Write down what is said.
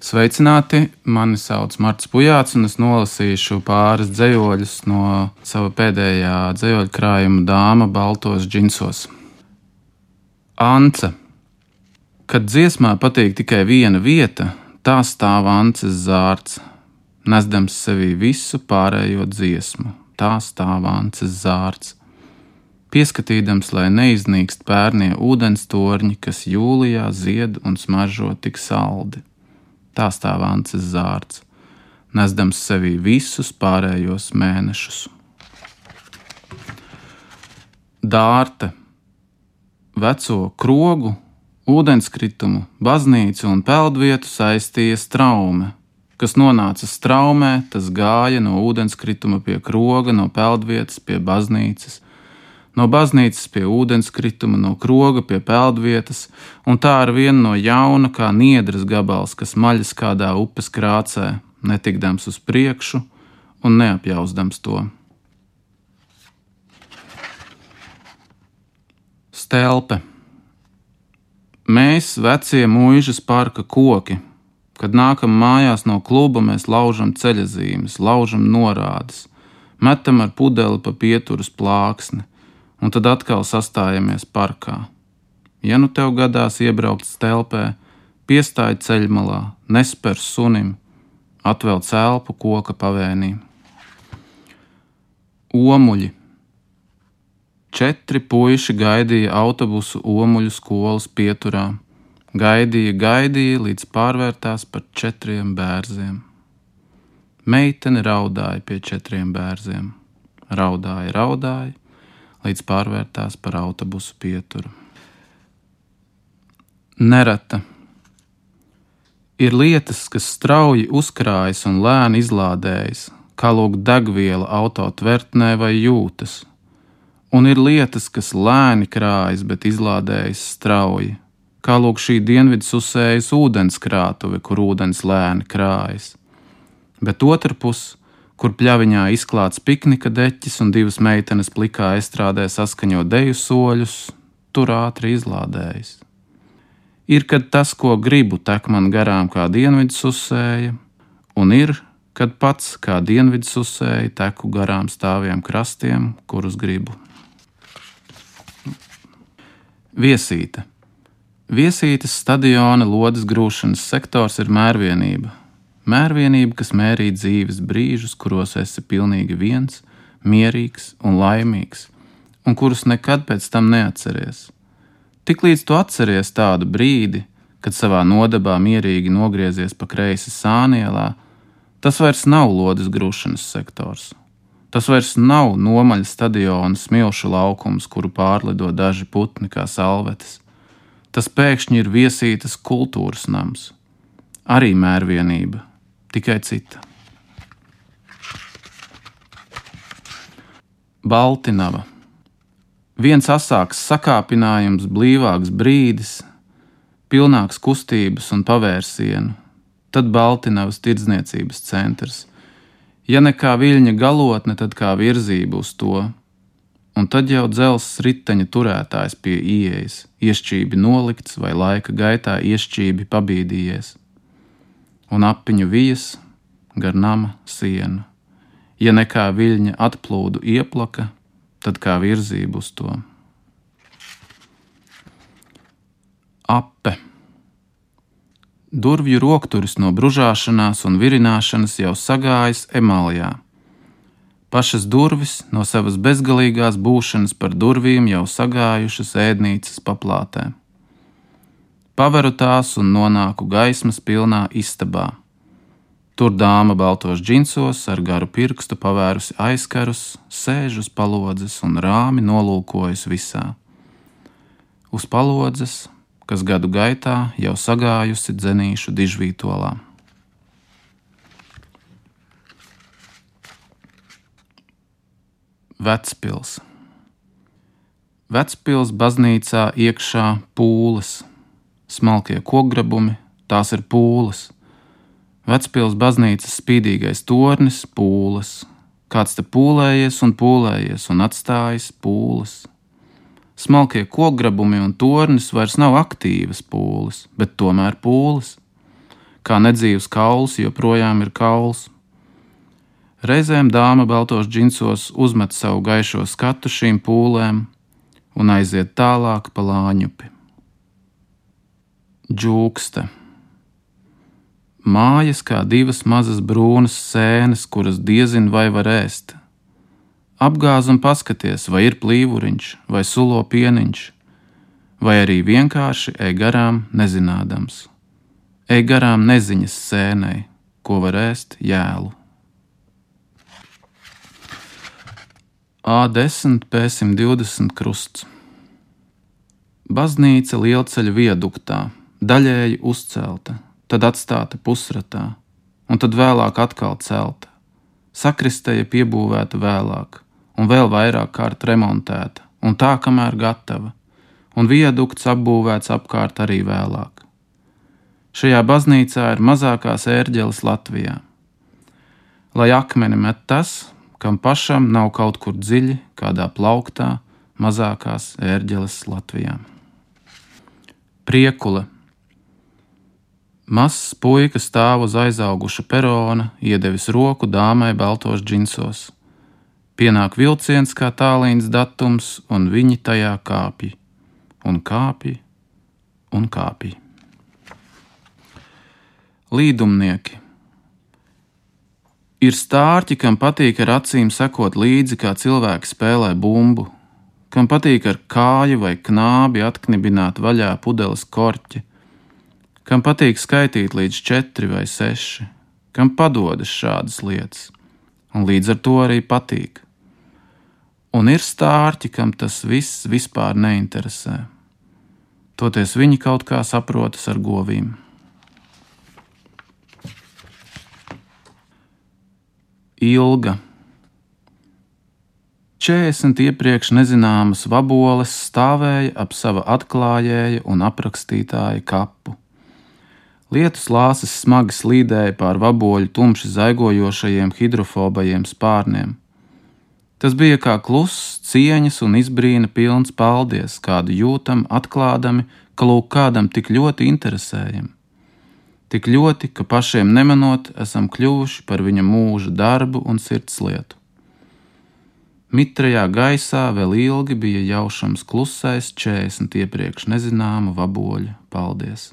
Sveicināti! Mani sauc Marts Pujāts, un es nolasīšu pāris dzejoļus no sava pēdējā dzejoļu krājuma Dāma baltos džinsos. Ance. Kad dziesmā patīk tikai viena vieta, tā stāv ances zārts, nesdams sevī visu pārējo dziesmu, tā stāv ances zārts. Pieskatīdams, lai neiznīkst pērnie ūdens torņi, kas jūlijā zied un smaržo tik saldi. Tā stāv ances zārts, nesdams sevī visus pārējos mēnešus. Dārte. Veco krogu, ūdenskritumu, baznīcu un peldvietu saistīja straume. Kas nonāca straumē, tas gāja no ūdenskrituma pie kroga, no peldvietas pie baznīcas, no baznīcas pie ūdenskrituma, no kroga pie peldvietas, un tā ar vienu no jauna kā niedras gabals, kas maļas kādā upes krācē, netikdams uz priekšu un neapjausdams to. Stelpe. Mēs, vecie muižas parka koki, kad nākam mājās no kluba, mēs laužam ceļazīmes, laužam norādes, metam ar pudeli pa pieturas plāksni, un tad atkal sastājamies parkā. Ja nu tev gadās iebraukt stelpē, piestāj ceļmalā, nesper sunim, atvelc elpu koka pavēnī. Omuļi. 4 puiši gaidīja autobusu Omuļu skolas pieturā. Gaidīja, līdz pārvērtās par 4 bērziem. Meitene raudāja pie 4 bērziem. Raudāja, līdz pārvērtās par autobusu pieturu. Nereta. Ir lietas, kas strauji uzkrājas un lēni izlādējas, kā lūk degviela auto tvertnē vai jūtas. Un ir lietas, kas lēni krājas, bet izlādējas strauji, kā lūk šī dienvidsusējas ūdenskrātuve, kur ūdens lēni krājas. Bet otrpus, kur pļaviņā izklāts piknika deķis un 2 meitenes plikā estrādē saskaņo deju soļus, tur ātri izlādējas. Ir, kad tas, ko gribu, tek man garām kā dienvidsusēja, un ir, kad pats kā dienvidsusēja teku garām stāviem krastiem, kurus gribu. Viesīte. Viesītes stadiona lodes grūšanas sektors ir mērvienība. Mērvienība, kas mērī dzīves brīžus, kuros esi pilnīgi viens, mierīgs un laimīgs, un kurus nekad pēc tam neatceries. Tiklīdz tu atceries tādu brīdi, kad savā nodabā mierīgi nogriezies pa kreisi Sānielā, tas vairs nav lodes grūšanas sektors. Tas vairs nav nomaļa stadiona smilšu laukums, kuru pārlido daži putni kā salvetes. Tas pēkšņi ir viesītes kultūras nams. Arī mērvienība. Tikai cita. Baltinava. Viens asāks sakāpinājums, blīvāks brīdis, pilnāks kustības un pavērsienu, tad Baltinavas tirdzniecības centrs. Ja ne kā viļņa galotne, tad kā virzība uz to, un tad jau dzelzs riteņa turētājs pie ieejas, iešķībi nolikts vai laika gaitā iešķībi pabīdījies. Un apiņu vijas gar nama sienu. Ja nekā viļņa atplūdu ieplaka, tad kā virzību uz to. Ape. Durvju rokturis no bružāšanās un virināšanas jau sagājis emalijā. Pašas durvis no savas bezgalīgās būšanas par durvīm jau sagājušas ēdnīcas paplātē. Paveru tās un nonāku gaismas pilnā istabā. Tur dāma baltos džinsos ar garu pirkstu pavērusi aizkarus, sēž uz palodzes un rāmi nolūkojas visā. Uz palodzes, kas gadu gaitā jau sagājusi dzenīšu dižvītolā. Vecpils. Vecpils baznīcā iekšā pūles. Smalkie kokgrabumi, tās ir pūles. Vecpils baznīcas spīdīgais tornis, pūles. Kāds te pūlējies un atstājis pūles. Smalkie kokgrabumi un tornis vairs nav aktīvas pūles, bet tomēr pūles. kā nedzīvs kauls joprojām ir kauls. Reizēm dāma baltos džinsos uzmet savu gaišo skatu šīm pūlēm un aiziet tālāk pa Lāņupi. Džūkste. Mājas kā divas mazas brūnas sēnes, kuras diezin vai var ēst. Apgāz un paskaties, vai ir plīvuriņš, vai sulo pieniņš, vai arī vienkārši ej garām nezinādams. Ej garām neziņas sēnei, ko var ēst jēlu. A10 P120 krusts. Baznīca Lielceļa viaduktā, daļēji uzcelta, tad atstāta pusratā, un tad vēlāk atkal celta. Sakristeja piebūvēta vēlāk, un vēl vairāk kārt remontēta, un tā kamēr gatava, un viadukts apbūvēts apkārt arī vēlāk. Šajā baznīcā ir mazākās ērģeles Latvijā. Lai akmeni met tas, kam pašam nav kaut kur dziļi, kādā plauktā, mazākās ērģeles Latvijā. Priekule. Mazs puika stāv uz aizauguša perona, iedevis roku dāmai baltos džinsos. Pienāk vilciens kā tālīns datums, un viņi tajā kāpj. Un kāpj, un kāpj. Līdumnieki. Ir stārķi, kam patīk ar acīm sekot līdzi, kā cilvēki spēlē bumbu, kam patīk ar kāju vai knābi atknibināt vaļā pudeles korķi, kam patīk skaitīt līdz 4 vai 6, kam padodas šādas lietas, un līdz ar to arī patīk. Un ir stārķi, kam tas viss vispār neinteresē. Toties viņi kaut kā saprotas ar govīm. Ilga. 40 iepriekš nezināmas vaboles stāvēja ap sava atklājēja un aprakstītāja kapu. Lietus lāses smagi slīdēja pār vaboļu tumši zaigojošajiem hidrofobajiem spārniem. Tas bija kā kluss, cieņas un izbrīna pilns paldies, kādu jūtam atklādami, ka lūk kādam tik ļoti interesējam. Tik ļoti, ka pašiem nemanot esam kļuvuši par viņa mūža darbu un sirdslietu. Mitrajā gaisā vēl ilgi bija jaušams klusais 40 iepriekš nezināmu vaboļu paldies.